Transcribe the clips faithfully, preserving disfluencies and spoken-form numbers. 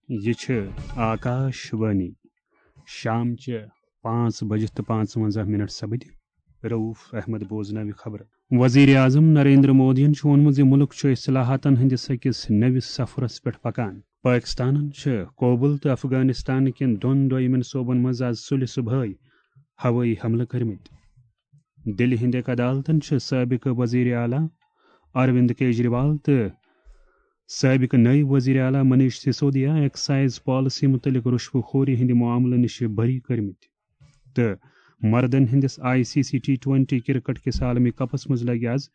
یہِ چھِ آکاش وانی۔ شامچہِ پانٛژھ بجہِ تہٕ پانٛژوَنٛزاہ منٹ سپدِ۔ رؤف احمد بوزناوِ خبرٕ۔ وزیر اعظم نریندر مودیَن چھُ ووٚنمُت زِ مُلک چھُ اصلاحاتن ہٕنٛدِس أکِس نٔوِس سفرس پٮ۪ٹھ پکان۔ پٲکِستانن چھِ کوبل تہٕ افغانستان کٮ۪ن دۄن دوٚیمٮ۪ن صوبن منٛز از سُلہِ صبحٲے ہوٲیی حملہٕ کٔرمٕتۍ۔ دِلہِ ہٕنٛدِ أکۍ عدالتن چھِ سٲبقہٕ وزیر اعلیٰ اروند کیجریوال تہٕ سٲبقہٕ نٲیِب وزیر اعلیٰ منیش سسودیا ایکسائز پالیسی مُتعلق رُشوٕ خوری ہٕنٛدِ معاملہٕ نِش بری کٔرمٕتۍ۔ تہٕ مردن ہٕنٛدِس I C C T twenty cricket کِس عالمی کپس منٛز لگہِ از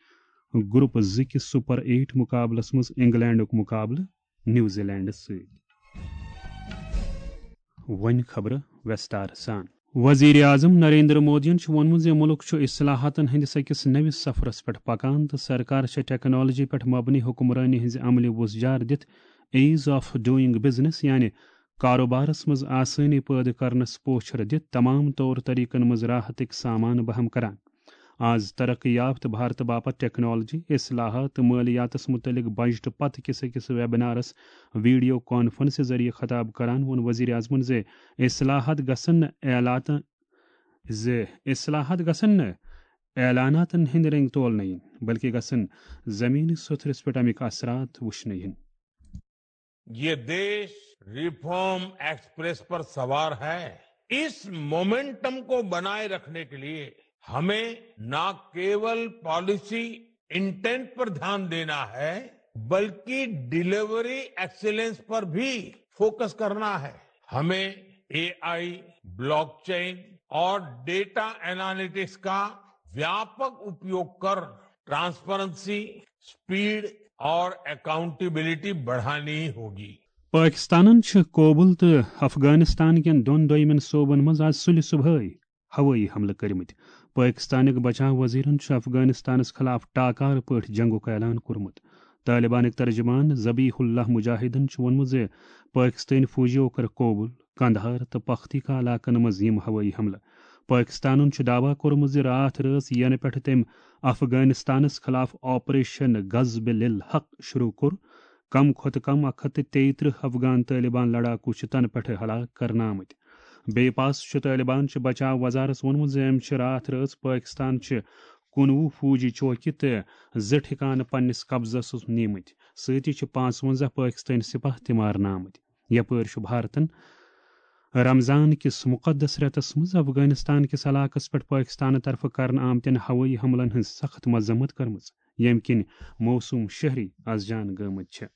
گروپ زٕ کِس سپر ایٹ مقابلس منٛز انگلینڈُک مقابلہٕ نیوزی لینڈس سۭتۍ۔ وۄنۍ خبرٕ وستار سان۔ وزیر اعظم نریندر مودیَن چھُ ووٚنمُت زِ مُلک چھُ اصلاحاتن ہٕنٛدِس أکِس نٔوِس سفرس پٮ۪ٹھ پکان تہٕ سرکار چھےٚ ٹیکنالوجی پٮ۪ٹھ مبنی حکمرٲنی ہٕنٛزِ عملہِ وۄزجار دِتھ ایز آف ڈوئنگ بزنس، یعنی کاروبارس منٛز آسٲنی پٲدٕ کرنس پوچھر دِتھ تمام طور طریقن منٛز راحتٕکۍ سامان بہم کران۔ آز ترقی یافتہٕ بھارتہٕ باپتھ ٹیکنالوجی، اصلاحات تہٕ مٲلیاتس مُتعلق بجٹہٕ پتہٕ کِس أکِس ویبنارس ویڈیو کانفرنس ذٔریعہٕ خطاب کران ووٚن وزیر اعظمن زِ اصلاحات گژھن نہٕ اعلاتن زِ اصلاحات گژھن نہٕ اعلاناتن ہٕنٛدۍ رنگۍ تولنہٕ یِنۍ، بلکہِ گژھن زمینی سوٚتھرِس پٮ۪ٹھ امیِکۍ اثرات وٕچھنہٕ یِنۍ۔ یہ دیش ریفارم ایکسپریس پر سوار ہے۔ اس مومنٹم کو بنائے رکھنے کے لیے ہمیں نہ کیول پالیسی انٹینٹ پر دھیان دینا ہے، بلکہ ڈیلیوری ایکسیلنس پر بھی فوکس کرنا ہے۔ ہمیں اے آئی، بلاک چین اور ڈیٹا اینالیٹکس کا व्यापक उपयोग कर ट्रांसपेरेंसी, स्पीड और अकाउंटेबिलिटी बढ़ानी होगी। پٲکِستانن چھِ کوبل تہٕ افغانستان کٮ۪ن دۄن دوٚیمٮ۪ن صوبن منٛز آز سُلہِ صبحٲے ہوٲیی حملہٕ کٔرمٕتۍ۔ پٲکِستانٕکۍ بچاو وزیرن چھُ افغانستانس خلاف ٹاکار پٲٹھۍ جنگُک اعلان کوٚرمُت۔ طالبانٕکۍ ترجمان ذبیح اللہ مجاہدن چھُ ووٚنمُت زِ پٲکِستٲنۍ فوجیو کٔر کوبل، قندھار تہٕ پختیکا علاقن منٛز یِم ہوٲیی حملہٕ۔ پٲکِستانن چھُ دعویٰ کوٚرمُت زِ راتھ رٲژ ینہٕ پٮ۪ٹھٕ تٔمۍ افغانستانس خلاف آپریشن غضب للحق شروع کوٚر، کم کھۄتہٕ کم اکھ ہتھ تہٕ تیٚیہِ ترٕٛہ افغان طالبان لڑاکو چھِ تنہٕ پٮ۪ٹھٕ ہلاک کرنہٕ آمٕتۍ۔ بیٚیہِ پاس چھُ طالبان چہِ بچاو وزارس ووٚنمُت زِ أمۍ چھِ راتھ رٲژ پٲکِستان چہِ کُنوُہ فوجی چوکہِ تہٕ زٕ ٹھکانہٕ پننِس قبضس منٛز نِمٕتۍ۔ سۭتی چھِ پانٛژوَنٛزاہ پٲکِستٲنۍ سپاہ تہِ مارنہٕ آمٕتۍ۔ یپٲرۍ چھُ بھارتن رمضان کِس مقدس رٮ۪تس منٛز افغانستان کِس علاقس پٮ۪ٹھ پٲکِستانہٕ طرفہٕ کرنہٕ آمتٮ۪ن ہوٲیی حملن ہٕنٛز سخت مذمت کٔرمٕژ، ییٚمہِ کِنۍ موصوم شہری از جان گٲمٕتۍ چھِ۔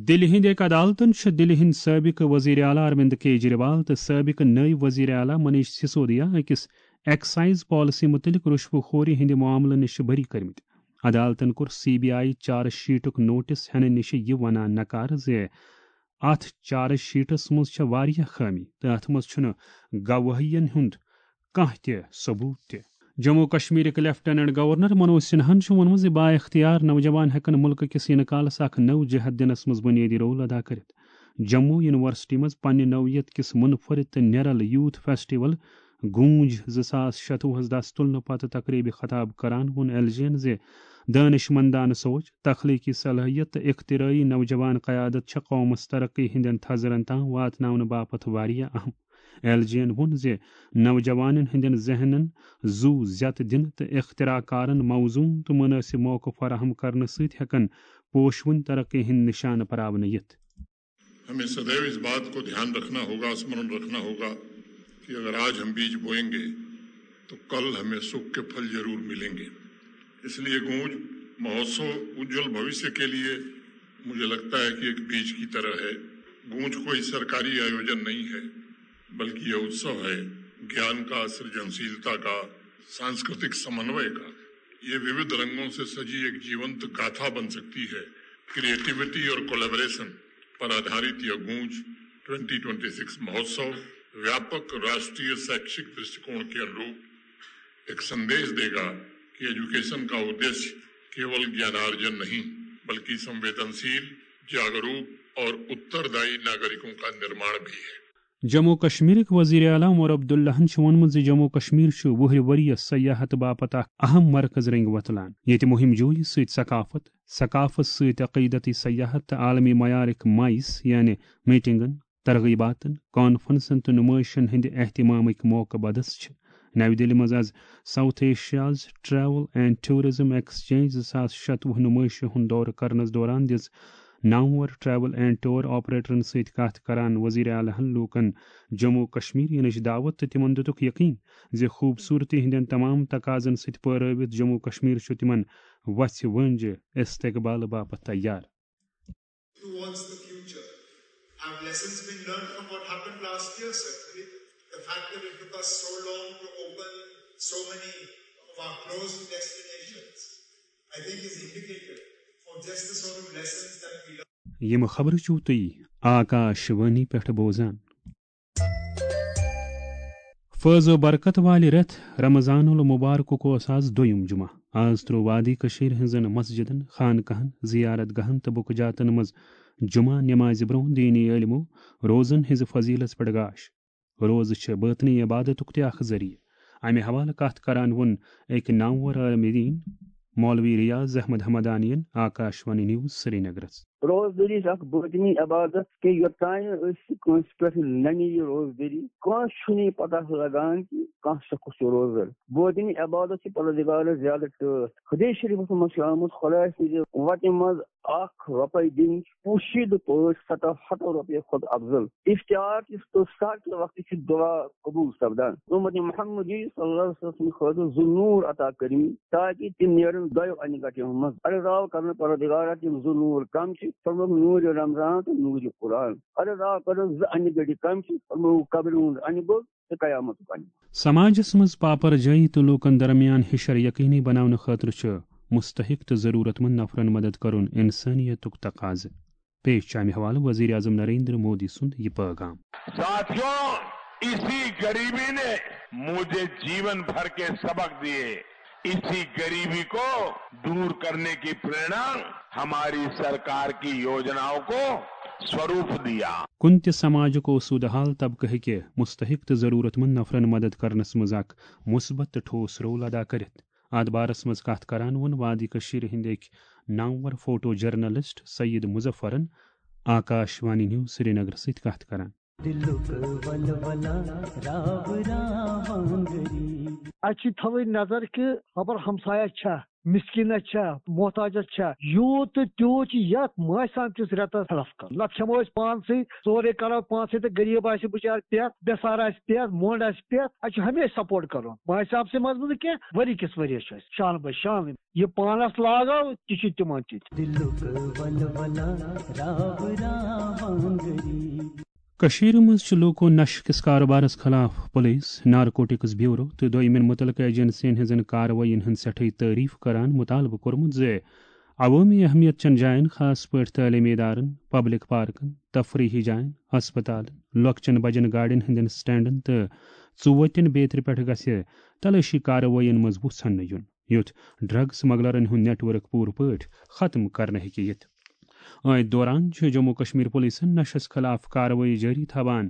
دِلہِ ہٕنٛدِ أکۍ عدالتن چھِ دِلہِ ہٕنٛدۍ سٲبقہٕ وزیر اعلیٰ اروند کیجریوال تہٕ سٲبقہٕ نٲیِب وزیر اعلیٰ منیش سسودیا أکِس ایکسائز پالیسی مُتعلق رُشوٕ خوری ہٕنٛدِ معاملہٕ نِش بری کٔرمٕتۍ۔ عدالتن کوٚر سی بی آئی چارج شیٹُک نوٹس ہٮ۪نہٕ نِش یہِ ونان نکار زِ اتھ چارج شیٹس منٛز چھےٚ واریاہ خٲمی تہٕ اتھ منٛز چھُنہٕ گوٲہین ہُنٛد کانٛہہ تہِ ثبوت تہِ۔ جموں و کشمیرٕکۍ لیفٹیننٹ گورنر منوج سنہاہن چھُ ووٚنمُت زِ با اختیار نوجوان ہٮ۪کن مُلکہٕ کِس یِنہٕ کالس اکھ نٔو جہت دِنس منٛز بُنیٲدی رول ادا کٔرِتھ۔ جموں یونیورسٹی منٛز پننہِ نوعیت کِس منفرد تہٕ نیرل یوتھ فیسٹیول گونج زٕ ساس شتوُہس دس تُلنہٕ پتہٕ تقریبہِ خطاب کران ووٚن ایل جی ین زِ دانش مندانہٕ سوچ، تخلیقی صلٲحیت تہٕ اختراعی نوجوان قیادت چھےٚ قومس ترقی ہٕنٛدٮ۪ن تھزرن تام واتناونہٕ باپتھ واریاہ اہم۔ ایل جی ین ووٚن زِ نوجوانن ہٕنٛدٮ۪ن ذہنن زُو زیتہٕ دِنہٕ تہٕ اختراع کارن موزوٗن تہٕ مُنٲسِب موقعہٕ فراہم کرنہٕ سۭتۍ ہٮ۪کن پوشوٕنۍ ترقی ہٕنٛدۍ نشانہٕ پراونہٕ یِتھ۔ हमें सदैव इस बात को ध्यान रखना होगा, स्मरण रखना होगा कि अगर आज हम बीज बोएंगे तो कल हमें सुख के फल जरूर मिलेंगे। इसलिए गूंज महोत्सव उज्जवल भविष्य के लिए मुझे लगता है कि एक बीज की तरह है। गूंज कोई सरकारी आयोजन नहीं है, बल्कि यह उत्सव है ज्ञान का, सृजनशीलता का, सांस्कृतिक समन्वय का। ये विविध रंगों से सजी एक जीवंत गाथा बन सकती है। क्रिएटिविटी और कोलैबोरेशन पर आधारित यह गूंज ट्वेंटी ट्वेंटी सिक्स महोत्सव व्यापक राष्ट्रीय शैक्षिक दृष्टिकोण के अनुरूप एक संदेश देगा कि एजुकेशन का उद्देश्य केवल ज्ञानार्जन नहीं, बल्कि संवेदनशील, जागरूक और उत्तरदायी नागरिकों का निर्माण भी है। جموں و کشمیرٕکۍ وزیر اعلیٰ عمر عبداللہن چھُ ووٚنمُت زِ جموں و کشمیر چھُ وُہرِ ؤرۍ یَس سیاحت باپتھ اکھ اہم مرکز رنگۍ وۄتلان، ییٚتہِ مُہِم جویی سۭتۍ ثقافت، ثقافت سۭتۍ عقیدتی سیاحت تہٕ عالمی معیارٕکۍ مائز یعنی میٹنگن، ترغیباتن، کانفرنسن تہٕ نمٲیشن ہٕنٛدِ اہتمامٕکۍ موقعہٕ بدس چھِ نَوِ دِلہِ منٛز از south Asia's travel and tourism exchange زٕ ساس شتوُہ نمٲیشہِ ہُنٛد دورٕ کرنس دوران دِژ نامور ٹریول اینڈ ٹور آپریٹرن سۭتۍ کتھ کران وزیر اعلیٰ ہن لوٗکن جموں کشمیر یِنٕچ دعوت تہٕ تِمن دِتُکھ یقین زِ خوٗبصوٗرتی ہٕنٛدٮ۪ن تمام تقاضن سۭتۍ پٲرٲوِتھ جموں کشمیر چھُ تِمن وژھِ وٲنٛجہِ استقبال باپتھ تیار۔ Towards the future? Have lessons been learned from what happened last year, certainly? The fact that it took us so long to open so many of our closed destinations, I think, is indicative of just the sort of lessons that we learned. یِم خبرٕ چھِو تُہۍ آکاش وانی پٮ۪ٹھ بوزان۔ فٲض و برکت والہِ رٮ۪تھ رمضان المبارکُک اوس آز دوٚیُم جمعہ۔ آز تروو وادی کٔشیٖرِ ہٕنٛزن مسجدن، خانقاہن، زیارت گاہن تہٕ بُکہٕ جاتن منٛز جمعہ نمازِ برونٛہہ دینی عٲلمو روزن ہٕنٛزِ فضیلت پٮ۪ٹھ گاش۔ روزٕ چھِ باطنی عبادتُک تہِ اکھ ذٔریعہٕ۔ امہِ حوالہٕ کتھ کران ووٚن أکۍ نامور عالمِ دین مولوی ریاض احمد حمدانین آکاش وانی نیوز سرینگرس۔ روزدٔری چھِ اکھ باطنی عبادت، کہِ یوٚتام نہٕ أسۍ کٲنٛسہِ پٮ۪ٹھ ننہِ یہِ روزدٔری، کٲنٛسہِ چھُنہٕ یہِ پتہ لگان کہِ کانٛہہ شخص چھُ روزدر۔ باطنی عبادت چھِ پروردگارس زیادٕ ٹٲٹھ۔ حدیث شریفس منٛز چھُ آمُت، خدایہِ سٕنٛزِ وتہِ منٛز اکھ رۄپے دِنۍ چھِ پوشیدٕ پٲٹھۍ ستو ہتو رۄپیو کھۄتہٕ افضل۔ افتار کِس تہٕ سحر کہِ وقتہٕ چھِ دعا قبول سپدان۔ اُمت محمدی صلی اللہ علیہ وسلم سٕنٛدِ خٲطرٕ زٕ نوٗر عطا کٔرمٕتۍ، تاکہِ تِم نیرن دۄیو انہِ گٹیو منٛز۔ عرض آو کرنہٕ، پروردگارا، تِم زٕ نوٗر کم چھِ؟ فرمووُکھ، نوٗرِ رمضان تہٕ نوٗرِ قرآن۔ عرض آو کرنہٕ، زٕ انہِ گٔٹۍ کم چھِ؟ فرمووُکھ، قبرِ ہُنٛد انہِ گوٚٹ تہٕ قیامتُک انہِ گوٚٹ۔ سماجس منٛز پاپر جٲیی تہٕ لوٗکن درمیان ہِشر یقینی بناونہٕ خٲطرٕ چھُ مستحق تہٕ ضروٗرت مند نفرن مدد کرُن انسٲنیتُک تقاضہٕ۔ پیش چھُ امہِ حوالہٕ وزیر اعظم نریندر مودی سُنٛد یہِ پٲغام۔ ساتھیو، اسی غریبی نے مجھے جیون بھر کے سبق دیے۔ اسی غریبی کو دور کرنے کی پریرنا ہماری سرکار کی یوجناؤں کو سوروپ دیا۔ کُنہِ تہِ سماجُک اوسوٗدٕ حال طبقہٕ ہیٚکہِ مستحق تہٕ ضروٗرت مند نفرن مدد کرنس منٛز اکھ مثبت تہٕ ٹھوس رول ادا کٔرِتھ۔ اتھ بارس منٛز کتھ کران ووٚن وادی کٔشیٖرِ ہٕنٛدۍ أکۍ نامور فوٹو جرنلسٹ سعید مظفرن آکاش وانی نیوز سرینگر سۭتۍ کتھ کران۔ دلُک ولولہ راو راوان غریب۔ اَسہِ چھِ تھاوٕنۍ نظر کہِ خبر ہمسایہ چھا، مسکینہ چھا، محتاجہ چھا، یوٗت تہٕ تیوٗت چھُ یتھ ماہِ صاحب کِس رٮ۪تس ہیلپ کرُن۔ نتہٕ کھٮ۪مو أسۍ پانسٕے، سورُے کرو پانسٕے تہٕ غریب آسہِ بِچار پٮ۪تھ، بے سہارا آسہِ پٮ۪تھ، مۄنڈ آسہِ پٮ۪تھ۔ اَسہِ چھُ ہمیشہِ سپورٹ کرُن۔ ماہِ صاحب سٕے منٛز نہٕ کینٛہہ، ؤری کِس ؤریس چھُ اَسہِ شانہٕ بہ شانہٕ۔ یہِ پانس لاگو، تہِ چھُ تِمن تہِ۔ دلُک ولولہ راو راوان غریب۔ کٔشیٖرِ منٛز چھِ لوٗکو نشہٕ کِس کارٕبارس خٕلاف پُلیٖس، نارکوٹکس بیوٗرو تہٕ دوٚیمٮ۪ن مُتعلقہٕ ایجنسین ہٕنٛزن کاروٲیین ہٕنٛز سٮ۪ٹھٕے تعریف کران مُطالبہٕ کوٚرمُت زِ عوٲمی اہمیت چٮ۪ن جاین، خاص پٲٹھۍ تعلیمی ادارن، پبلک پارکن، تفریحی جاین، ہسپتالن، لۄکچٮ۪ن بجن گاڑٮ۪ن ہٕنٛدٮ۪ن سٹینڈن تہٕ ژوٗتٮ۪ن بیترِ پٮ۪ٹھ گژھِ تلٲشی کاروٲیین منٛز وُژھ اننہٕ یُن، یُتھ ڈرگ سمگلرن ہُنٛد نیٹ ورک پوٗرٕ پٲٹھۍ ختم کرنہٕ ہیٚکہِ یِتھ۔ أتھۍ دوران چھِ جموں کشمیر پُلیٖسَن نشس خلاف کاروٲیی جٲری تھاوان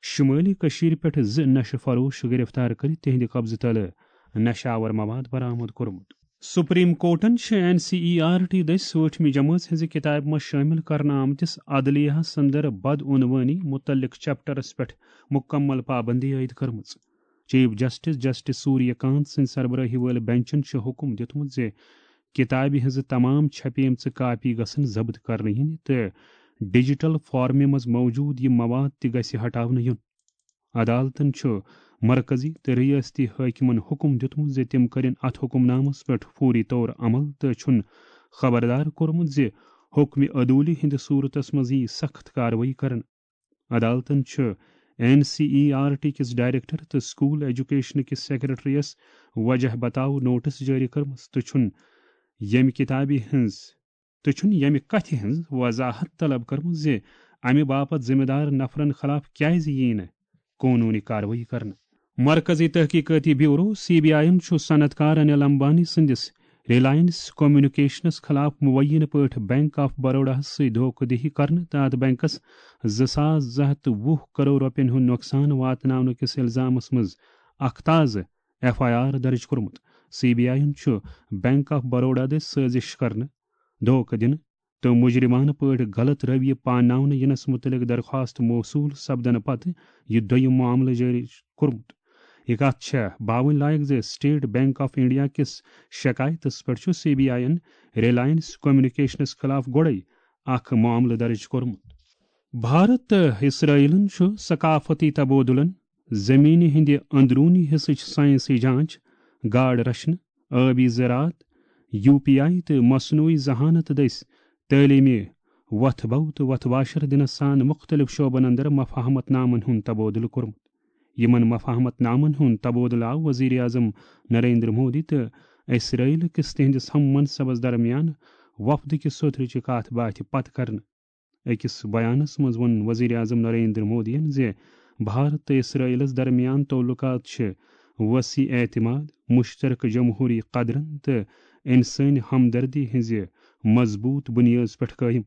شُمٲلی کٔشیٖرِ پٮ۪ٹھ زٕ نشہٕ فروش گِرفتار کٔرِتھ تِہنٛدِ قبضہٕ تلہٕ نشہٕ آور مواد برآمد کوٚرمُت۔ سپریم کورٹَن چھِ N C E R T دٔسۍ ٲٹھمہِ جمٲژ ہٕنٛزِ کِتابہِ منٛز شٲمِل کرنہٕ آمتِس عدلیہَس اندر بدعنوٲنی مُتعلق چیپٹرَس پٮ۪ٹھ مُکمل پابندی عٲید کٔرمٕژ۔ چیف جسٹس جسٹس سوریہ کانت سٕنٛدِ سربرٲہی وٲلۍ بنچَن چھُ حُکُم دیُتمُت زِ کِتابہِ ہٕنٛزٕ تمام چھپیمژٕ کاپی گژھن ضبط کرنہٕ یِنہِ تہٕ ڈیجیٹل فارمہِ منٛز موجود یہِ مواد تہِ گژھِ ہٹاونہٕ یُن۔ عدالتَن چھُ مرکزی تہٕ ریاستی حٲکمَن حُکُم دیُتمُت زِ تِم کٔرِن اَتھ حُکُم نامَس پٮ۪ٹھ فوری طور عمل تہٕ چھُن خبردار کوٚرمُت زِ حُکمِ عدوٗلی ہٕنٛدِ صوٗرتَس منٛز یِیہِ سخت کاروٲیی کرنہٕ۔ عدالتَن چھُ N C E R T کِس ڈائریکٹر تہٕ سکول ایجوکیشن کِس سیکرٹریَس وجہ بتاو نوٹس جٲری کٔرمٕژ تہٕ چھُن ییٚمہِ کِتابہِ ہٕنٛز تہٕ چھُن ییٚمہِ کتھِ ہٕنٛز وضاحت طلب کٔرمٕژ زِ امہِ باپتھ ذمہٕ دار نفرن خلاف کیازِ ییہِ نہٕ قونوٗنی کاروٲیی کرنہٕ۔ مرکزی تحقیقاتی بیورو، سی بی آئی یَن چھُ صنعت کار انل امبانی سٕنٛدِس ریلائنس کمیونیکیشنس خلاف مبینہٕ پٲٹھۍ بینک آف بروڈاہَس سۭتۍ دھوکہٕ دہی کرنہٕ تہٕ اتھ بینکَس زٕ ساس زٕ ہَتھ تہٕ وُہ کرور رۄپین ہُنٛد نۄقصان واتناونہٕ کِس الزامَس منٛز اکھ تازٕ ایف آئی آر درٕج کوٚرمُت۔ سی بی آئی یَن چھُ بینک آف بروڈا دٔسۍ سٲزِش کرنہٕ، دھوکہٕ دِنہٕ، تہٕ مجرمانہٕ پٲٹھۍ غلط رویہ پاناونہٕ ینس متعلق درخواست موصول سپدنہٕ پتہٕ یہِ دوٚیم معاملہٕ جٲری کوٚرمُت۔ یہِ کتھ چھےٚ باوٕنۍ لایق زِ State Bank of India کِس شکایتس پٮ۪ٹھ چھُ C B I یَن Reliance Communications خلاف گۄڈَے اکھ معاملہٕ درج کوٚرمُت۔ بھارت تہٕ اسرائیلن چھُ ثقافتی تبادلن، زمینہِ ہٕنٛدِ اندروٗنی حصٕچ سائنسی جانچ، گاڈ رچھنہٕ، آبی زراعت، U P I تہٕ مصنوعی ذہانت دٔسۍ تعلیمی وتھ بو تہٕ وتھ واشر دِنس سان مُختٔلِف شعبن اندر مفاہمت نامن ہُنٛد تبادلہٕ کوٚرمُت۔ یِمن مفاہمت نامن ہُنٛد تبادلہٕ آو وزیر اعظم نریندر مودی تہٕ اسرائیل کِس تِہنٛدِس ہم منصبس درمیان وفدٕ کہِ سوٚترٕچہِ کتھ باتھِ پتہٕ کرنہٕ۔ أکِس بیانس منٛز ووٚن وزیر اعظم نریندر مودیَن زِ بھارت تہٕ اسرائیلس درمیان تعلقات چھِ وسیع اعتماد، مشترکہ جمہوری قدرن تہٕ انسٲنی ہمدردی ہٕنٛزِ مضبوط بنیٲژ پٮ۪ٹھ قٲیِم۔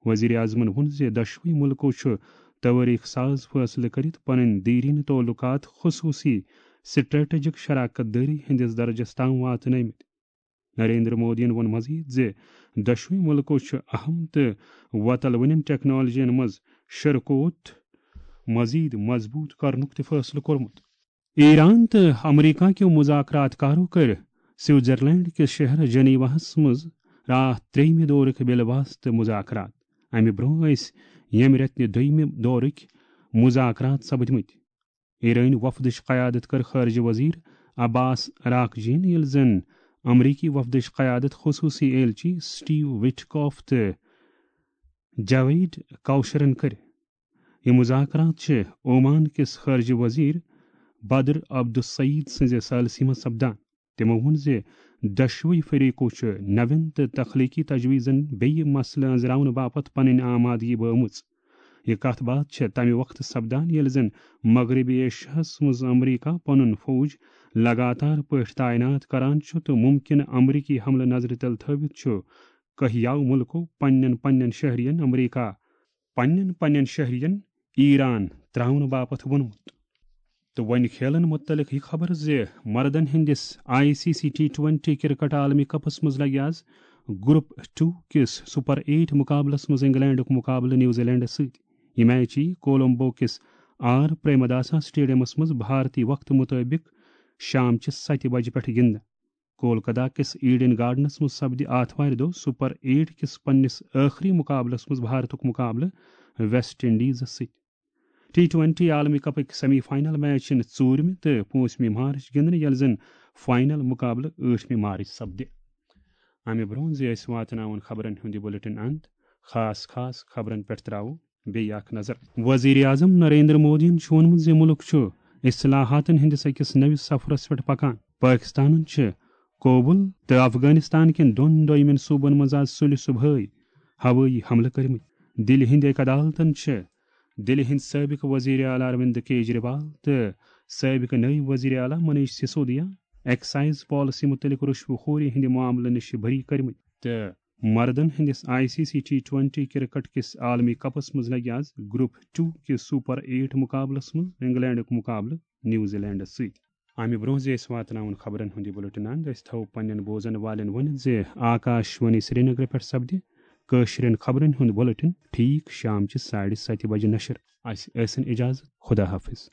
وزیر اعظمن ووٚن زِ دۄشوٕے مُلکو چھُ توٲریٖخ ساز فٲصلہٕ کٔرِتھ پنٕنۍ دیرینہٕ تعلقات خصوٗصی سٹریٹجک شراکت دٲری ہٕنٛدِس درجس تام واتنٲومٕتۍ۔ نریندر مودیَن ووٚن مزید زِ دۄشوٕے مُلکو چھُ اہم تہٕ وۄتلوٕنٮ۪ن ٹیکنالوجین منٛز شراکت مزید مضبوط کرنُک تہِ فٲصلہٕ کوٚرمُت۔ ایران تہٕ امریکہ کیو مذاکرات کارو کٔرۍ سوئٹزرلینڈ کِس شہر جنیواہس منٛز راتھ ترٛیٚیمہِ دورٕکۍ بِلہٕ واسطہٕ مذاکرات۔ امہِ برونٛہہ ٲسۍ ییٚمہِ رٮ۪تہٕ نہِ دوٚیمہِ دورٕکۍ مذاکرات سپدمٕتۍ۔ ایرٲنۍ وفدٕچ قیادت کٔر خارجہ وزیر عباس عراقجین، ییٚلہِ زن امریکی وفدٕچ قیادت خصوصی ایلچی سٹیو وٹکاف تہٕ جاوید کوشرن کٔر۔ یِم مذاکرات چھِ اومان کِس خارجہ وزیر بدر عبدالسعید سٕنٛزِ ثالثی منٛز سپدان۔ تِمو ووٚن زِ دۄشوٕے فریقو چھِ نوٮ۪ن تہٕ تخلیقی تجویزن بیٚیہِ مسلہٕ أنٛزراونہٕ باپتھ پنٕنۍ آمادگی بٲومٕژ۔ یہِ کتھ باتھ چھےٚ تمہِ وقتہٕ سپدان، ییٚلہِ زن مغربی ایشیاہس منٛز امریکہ پنُن فوج لگاتار پٲٹھۍ تعینات کران چھُ تہٕ ممکنہٕ امریکی حملہٕ نظرِ تل تھٲوِتھ چھُ کہیاو مُلکو پننٮ۪ن پننٮ۪ن شہرین امریکہ، پننٮ۪ن پننٮ۪ن شہرین ایران تراونہٕ باپتھ ووٚنمُت۔ تہٕ وۄنۍ کھیلن متعلق یہِ خبر زِ مردن ہٕنٛدِس I C C T twenty cricket عالمی کپس منٛز لگہِ آز گروپ ٹو کِس سپر ایٹ مقابلس منٛز انگلینڈُک مقابلہٕ نیوزی لینڈس سۭتۍ۔ یہِ میچ یی کولمبو کِس آر پریمداسا سٹیڈیمس منٛز بھارتی وقتہٕ مطٲبق شام چہِ ستہِ بجہِ پٮ۪ٹھ گِنٛدنہٕ۔ کولکتہ کِس ایڈن گارڈنس منٛز سپدِ آتھوارِ دۄہ سپر ایٹ کِس پننِس ٲخری مقابلس منٛز بھارتُک مقابلہٕ ویسٹ انڈیزس سۭتۍ۔ T twenty عالمی کپٕکۍ سیمی فاینل میچ یِن ژوٗرمہِ تہٕ پوٗنٛژمہِ مارچ گِنٛدنہٕ، ییٚلہِ زن فاینل مقابلہٕ ٲٹھمہِ مارچ سپدِ۔ امہِ برونٛہہ زِ أسۍ واتناوون خبرن ہُنٛد یہِ بُلٹن اند، خاص خاص خبرن پٮ۪ٹھ تراوو بیٚیہِ اکھ نظر۔ وزیر اعظم نریندر مودیَن چھُ ووٚنمُت زِ مُلک چھُ اصلاحاتن ہٕنٛدِس أکِس نٔوِس سفرس پٮ۪ٹھ پکان۔ پٲکِستانن چھِ کابل تہٕ افغانستان کٮ۪ن دۄن دوٚیمٮ۪ن صوبن منٛز آز سُلہِ صبحٲے ہوٲیی حملہٕ کٔرمٕتۍ۔ دِلہِ ہٕنٛدۍ أکۍ عدالتن چھِ دِلہِ ہٕنٛدۍ سٲبِق وزیر اعلیٰ اروند کیجریوال تہٕ سٲبِق نٲیِب وزیر اعلیٰ منیش سسودیا ایکسائز پالیسی مُتعلق رشوٕ خوری ہٕنٛدِ معاملہٕ نِش بری کٔرمٕتۍ تہٕ مردن ہٕنٛدِس I C C T twenty cricket کِس عالمی کپس منٛز لگہِ آز گروپ ٹو کِس سپر ایٹ مقابلس منٛز انگلینڈُک مقابلہٕ نیوزی لینڈس سۭتۍ۔ امہِ برونٛہہ زِ أسۍ واتناوون خبرن ہُنٛد یہِ بُلٹن اند، أسۍ تھاوو پننٮ۪ن بوزن والٮ۪ن ؤنِتھ زِ آکاش وانی سرینگرٕ پٮ۪ٹھ سپدِ کٲشرٮ۪ن خبرن ہُنٛد بُلٹن ٹھیٖک شام چہِ ساڑِ ستہِ بجہِ نشر۔ اسہِ ٲسِن اجازت، خدا حافظ۔